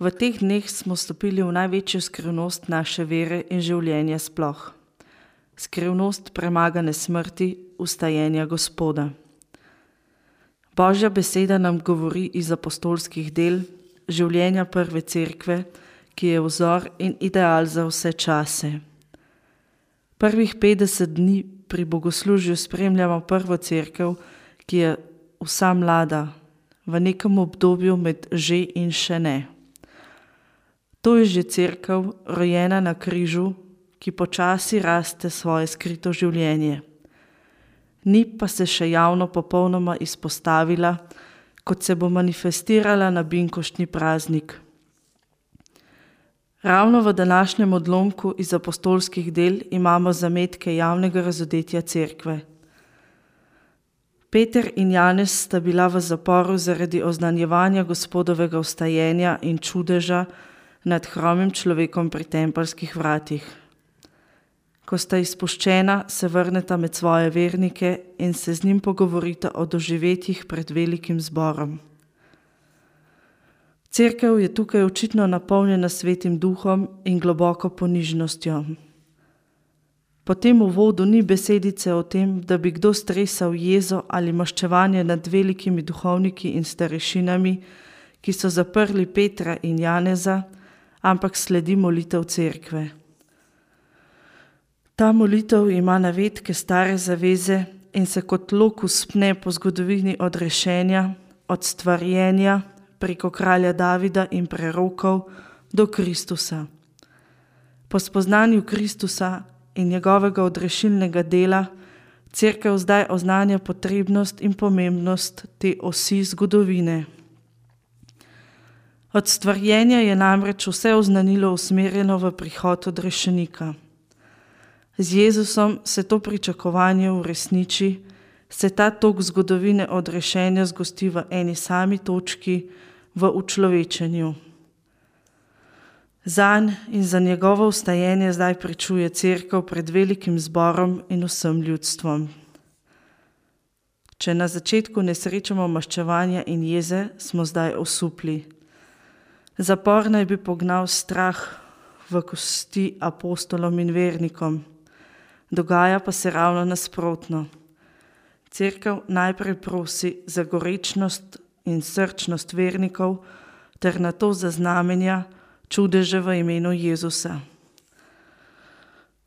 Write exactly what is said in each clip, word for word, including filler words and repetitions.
V teh dneh smo stopili v največjo skrivnost naše vere in življenja sploh. Skrivnost premagane smrti, vstajenja Gospoda. Božja beseda nam govori iz apostolskih del, življenja prve cerkve, ki je vzor in ideal za vse čase. Prvih petdeset dni pri bogoslužju spremljamo prvo cerkev, ki je vsa mlada, v nekem obdobju med že in še ne. To je že cerkev, rojena na križu, ki počasi raste svoje skrito življenje. Ni pa se še javno popolnoma izpostavila, kot se bo manifestirala na binkoštni praznik. Ravno v današnjem odlomku iz apostolskih del imamo zametke javnega razodetja cerkve. Peter in Janez sta bila v zaporu zaradi oznanjevanja Gospodovega vstajenja in čudeža nad hromim človekom pri tempeljskih vratih. Ko sta izpuščena, se vrneta med svoje vernike in se z njim pogovorita o doživetjih pred velikim zborom. Cerkev je tukaj očitno napolnjena Svetim Duhom in globoko ponižnostjo. Po tem uvodu ni besedice o tem, da bi kdo stresal jezo ali maščevanje nad velikimi duhovniki in starešinami, ki so zaprli Petra in Janeza, ampak sledi molitev cerkve. Ta molitev ima navedke stare zaveze in se kot lokus pne po zgodovini odrešenja, od stvarjenja preko kralja Davida in prerokov do Kristusa. Po spoznanju Kristusa in njegovega odrešilnega dela cerkev zdaj oznanja potrebnost in pomembnost te osi zgodovine. Od stvarjenja je namreč vse oznanilo usmerjeno v prihod odrešenika. Z Jezusom se to pričakovanje uresniči, se ta tok zgodovine odrešenja zgosti v eni sami točki, v učlovečenju. Zanj in za njegovo vstajenje zdaj pričuje cerkev pred velikim zborom in vsem ljudstvom. Če na začetku ne srečamo maščevanja in jeze, smo zdaj osupli. Zapor naj bi pognal strah v kosti apostolom in vernikom. Dogaja pa se ravno nasprotno. Cerkev najprej prosi za gorečnost in srčnost vernikov ter nato za znamenja, čudeže v imenu Jezusa.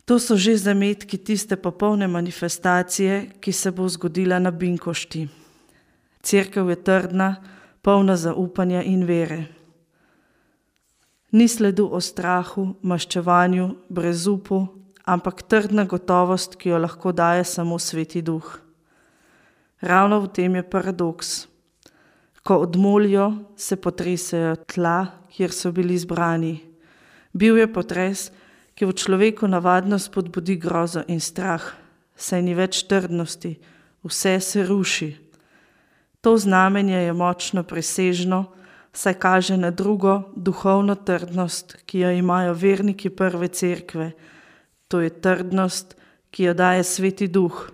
To so že zametki tiste popolne manifestacije, ki se bo zgodila na binkošti. Cerkev je trdna, polna zaupanja in vere. Ni sledu o strahu, maščevanju, brezupu, ampak trdna gotovost, ki jo lahko daje samo Sveti Duh. Ravno v tem je paradoks. Ko odmolijo, se potresejo tla, kjer so bili zbrani. Bil je potres, ki v človeku navadno spodbudi grozo in strah, saj ni več trdnosti, vse se ruši. To znamenje je močno presežno, saj kaže na drugo duhovno trdnost, ki jo imajo verniki prve cerkve. To je trdnost, ki jo daje Sveti Duh,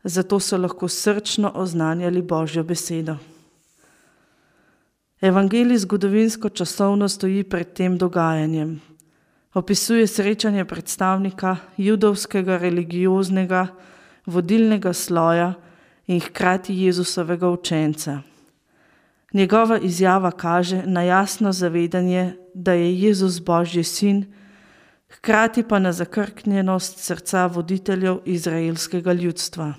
zato so lahko srčno oznanjali Božjo besedo. Evangelij zgodovinsko časovno stoji pred tem dogajanjem. Opisuje srečanje predstavnika judovskega religioznega vodilnega sloja in hkrati Jezusovega učenca. Njegova izjava kaže na jasno zavedanje, da je Jezus Božji sin, hkrati pa na zakrknjenost srca voditeljev izraelskega ljudstva.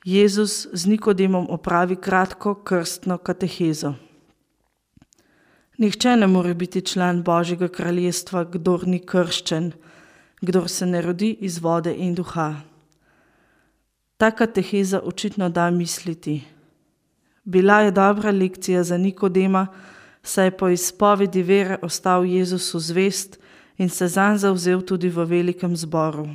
Jezus z Nikodemom opravi kratko krstno katehezo. Nihče ne more biti član Božjega kraljestva, kdor ni krščen, kdor se ne rodi iz vode in duha. Ta kateheza očitno da misliti. Bila je dobra lekcija za Nikodema, saj je po izpovedi vere ostal Jezusu zvest in se zanj zavzel tudi v velikem zboru.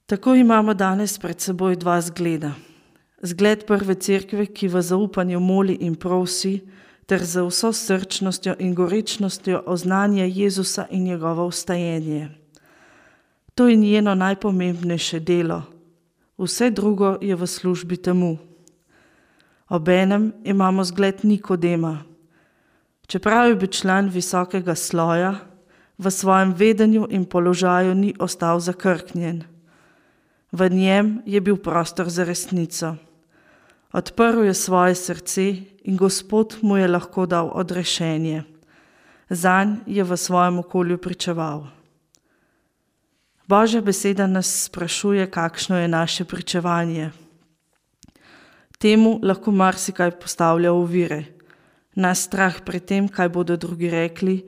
Tako imamo danes pred seboj dva zgleda. Zgled prve cerkve, ki v zaupanju moli in prosi, ter za vso srčnostjo in gorečnostjo oznanja Jezusa in njegovo vstajenje. To je njeno najpomembnejše delo. Vse drugo je v službi temu. Obenem imamo zgled Nikodema. Čeprav je bil član visokega sloja, v svojem vedenju in položaju ni ostal zakrknjen. V njem je bil prostor za resnico. Odprl je svoje srce in Gospod mu je lahko dal odrešenje. Zanj je v svojem okolju pričeval. Božja beseda nas sprašuje, kakšno je naše pričevanje. Temu lahko marsikaj postavlja ovire. Nas strah pred tem, kaj bodo drugi rekli,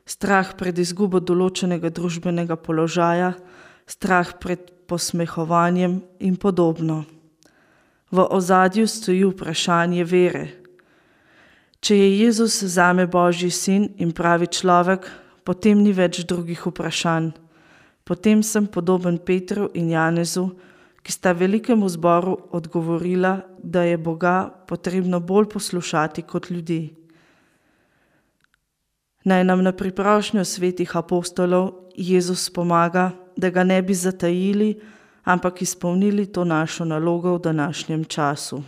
strah pred izgubo določenega družbenega položaja, strah pred posmehovanjem in podobno. V ozadju stoji vprašanje vere. Če je Jezus zame Božji sin in pravi človek, potem ni več drugih vprašanj. Potem sem podoben Petru in Janezu, ki sta velikemu zboru odgovorila, da je Boga potrebno bolj poslušati kot ljudi. Naj nam na priprošnjo svetih apostolov Jezus pomaga, da ga ne bi zatajili, ampak izpolnili to našo nalogo v današnjem času.